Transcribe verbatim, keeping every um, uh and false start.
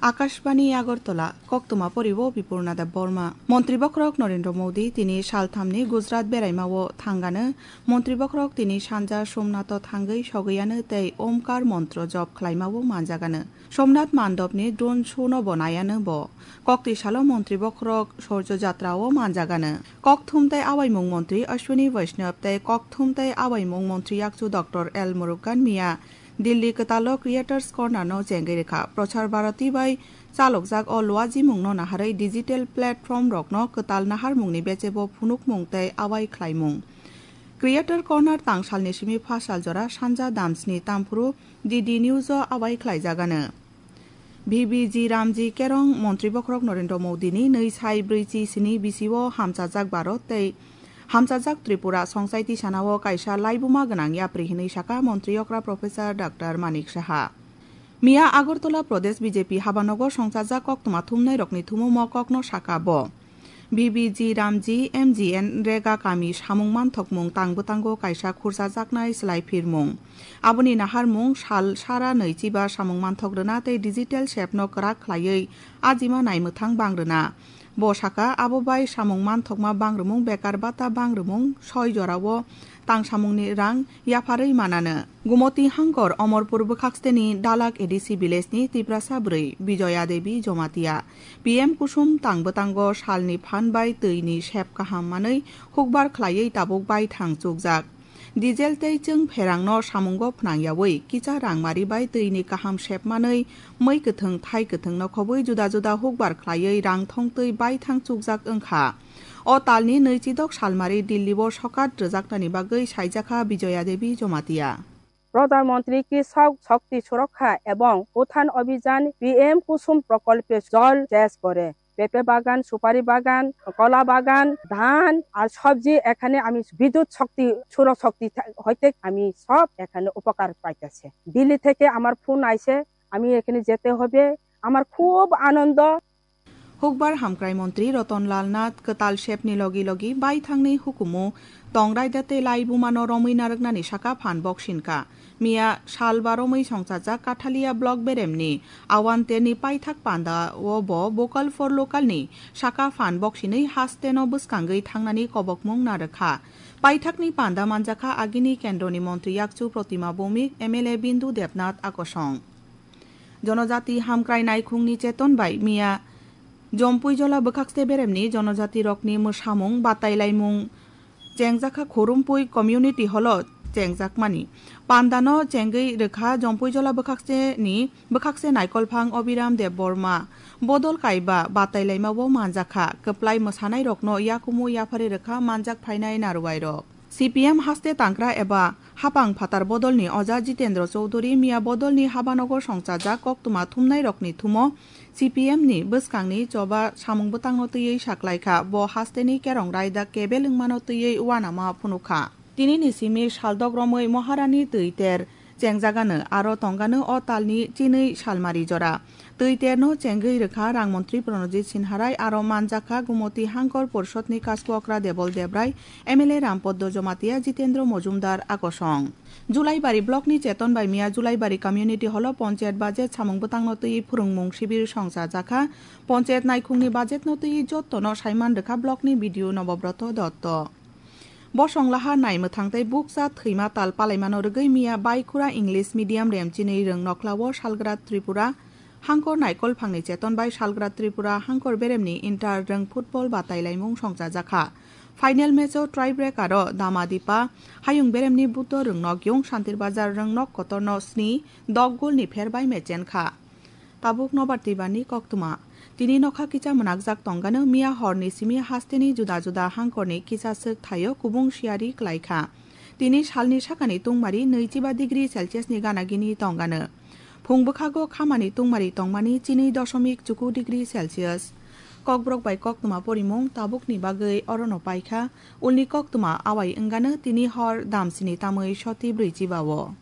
Akashbani Agartala, koktwma poribo Bipurna Debbarma. Montri bokhorok Narendra Modi tini salthamni Gujarat beraimao thangano. Montri bokhorok tini sanja Somnath-o thangwi sogwiano tei Omkar montro jop khlaimao manjagano. Somnath mandopni drone show-no bo naiano bo. Kokti salo montri bokhorok Sorjo Jatrao manjagano. Kokthum tei awaimung montri Ashwini Vaishnaw tei kokthum tei awaimung montri yakchu Doctor L Murugan miya Delhi kwtalo Creators Corner-no chengwi rwkha. Prasar Bharati bai chalokjak o luajimungno naharwi digital platform-rokno kwtal naharmungni bechebo phunukmung tei awai khlaimung. Creator Corner tangsalni simi phasal jora sanja damsni tamphuru D D News-o awai khlaijagano. V B G Ramji Kerong Montri Bokhorok Narendra Modi-ni nwi sai brwi chi sini bisio hamchajak Bharat tei hamchajak Tripura songchai tisanao kaisa laibuma gwnang yapri hinwi saka Montri okra Professor Doctor Manik Saha. Miya Agartala Pradesh B J P habanogo songchajak koktwma thumnairokni thumo mo kokno saka bo. V B G Ramji M G N Rega kami samung manthokmung tang bwtango kaisa khurchajaknai swlaiphirmung. Aboni naharmung sal sara nwichiba samung manthok rwna tei digital sepno kwrak khlaiwi ajima naimwthang bang rwna. Bo saka, abo bai samung manthokma bang rwmung, bekar bata bang rwmung, soi jorao tangsamungni rang yapharwi manano. Gumoti Hangkor Omorpur bwkhaksteni Dalak A D C village-ni Tiprasa bwrwi Bijoya Devi Jomatia. P M Kusum tang bwtango salni phan bai twini sep kaham manwi hukbar khlaiwi tabuk baithang chukjak. Diesel tei chwng pherangno samungo phnangyawi kisa rangmari bai twini kaham sep manwi mwi kwthwng thai kwthwngno khobwi juda juda hukbar khlaiwi rang thongtwi baithang chukjak wngkha. O talni nwichidok salmari Delhi-o sokat rwjaknani bagwi saijakha Bijoya Devi Jomatia. Pradhan Mantri Krishak Shakti Suraksha ebong Uthan Abhijan P M Kusum Prokolpe jol ches kore. পেঁপে বাগান, সুপারি বাগান, কলা বাগান, ধান আর সবজি এখানে আমি বিদ্যুৎ শক্তি, সৌর শক্তি থা-, হইতে আমি সব এখানে উপকার পাইতেছে। দিল্লি থেকে আমার ফোন আইছে, আমি এখানে যেতে হবে, আমার খুব আনন্দ। Hukbar hamkrai montri Ratan Lal Nath kwtal sepni logi logi baithangni hukumu tong raida tei lai bumano romwi narwknani saka phan boksinka. Miya sal baromwi songchajak Kathalia block beremni Awanterni paithak panda o bo Vocal for Local ni saka phan boksinwi hasteno bwskangwi thangnani kobokmung narwkha. Paithakni panda manjakha agini kendroni montri yakchu Protima Bhowmik, M L A Bindu Debnath akosong. Jonojati hamkrai naikhungni cheton bai miya Jompuijola bwkhakste beremni jonojati rokni mwsamung batailaimung chengjakha Khorumpui community hall-o chengjakmani. Pandano chengwi rwkha Jompuijola bwkhakseni bwkhakse naikolphang Obiram Debbarma. Bodol kaiba batailaimao manjakha, kwplai mwsanairokno yakumu yaphari rwkha manjak phainai naruwairok. C P M haste tangkra eba hapang phatar bodolni oja Jitendra Chowdhury miya bodolni habanogo songchajak koktwma thumnairokni thumo C P M ni bwskangni choba samung bwtangno twiwi saklaikha. Bo hasteni kerong raida kebel wngmano twiwi uanama phunukha. Tinini simi saldok romwi Moharani twi ter chengjagano, aro tongano o talni chinwi salmari jora. Twi terno chengwi rwkha rang montri Pranojit Sinharai, aro manjakha Gumoti Hangkor Porishadni kasku okra Debol Debrai, M L A Rampoddo Jomatia, Jitendra Mojumdar akosong. Julaibari blockni cheton bai miya Julaibari community hall-o ponchayat budget samung bwtangno twiwi phwrwngmung sibir songchajakha. Ponchayat naikhungni budgetno twiwi jottono saiman rwkha blockni B D O Nobobroto Dotto. Bosong lahar nai mwthang tei bukcha thwima tal palaimano rwgwi miya Baikura English Medium remchinwi rwng noklao salgra Tripura Hangkor naikolphangni cheton bai salgra Tripura Hangkor beremni inter rwng football batailaimung songchajakha. Final match-o tiebreaker-o Damadipa Hayung beremni Buddho Rwngnokyung Santirbazar Rwngnok kotorno sni dok golni pher bai mechenkha. Tabuk nobar twibani koktwma. Tini nokha kicha mwnakjak tongano miya horni simi hasteni juda juda hangkorni kicha swk thaio kubung siyari klaikha. Tini salni sakani tungmari nwichiba degree Celsius ni gana gini tongano. Phung bwkhago khamani tungmari tongmani chini dosomik chuku degree Celsius. Kokborok bai koktwma porimung tabukni bagwi orono paikha. Ulni koktwma awai wngano tini hor damsini tamwi soti brwichibao.